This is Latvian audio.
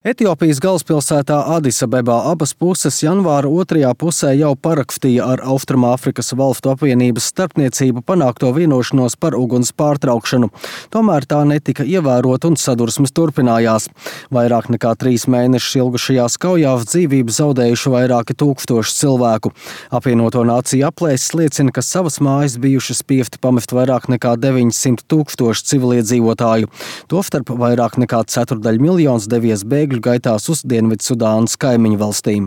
Etiopijas galvaspilsētā Adisabebā abas puses janvāra otrajā pusē jau parakstīja ar Austrumāfrikas valstu apvienības starpniecību panākto vienošanos par uguns pārtraukšanu. Tomēr tā netika ievērota un sadursmes turpinājās. Vairāk nekā 3 mēnešus ilgušajās kaujās dzīvību zaudējuši vairāki tūkstoši cilvēku. Apvienoto nāciju aplēses liecina, ka savas mājas bijuši spiesti pamest vairāk nekā 900 000 civiliedzīvotāju. Tostarp vairāk nekā 1/4 miljons devies bēgļu gaitās uz Dienvidsudānas kaimiņu valstīm.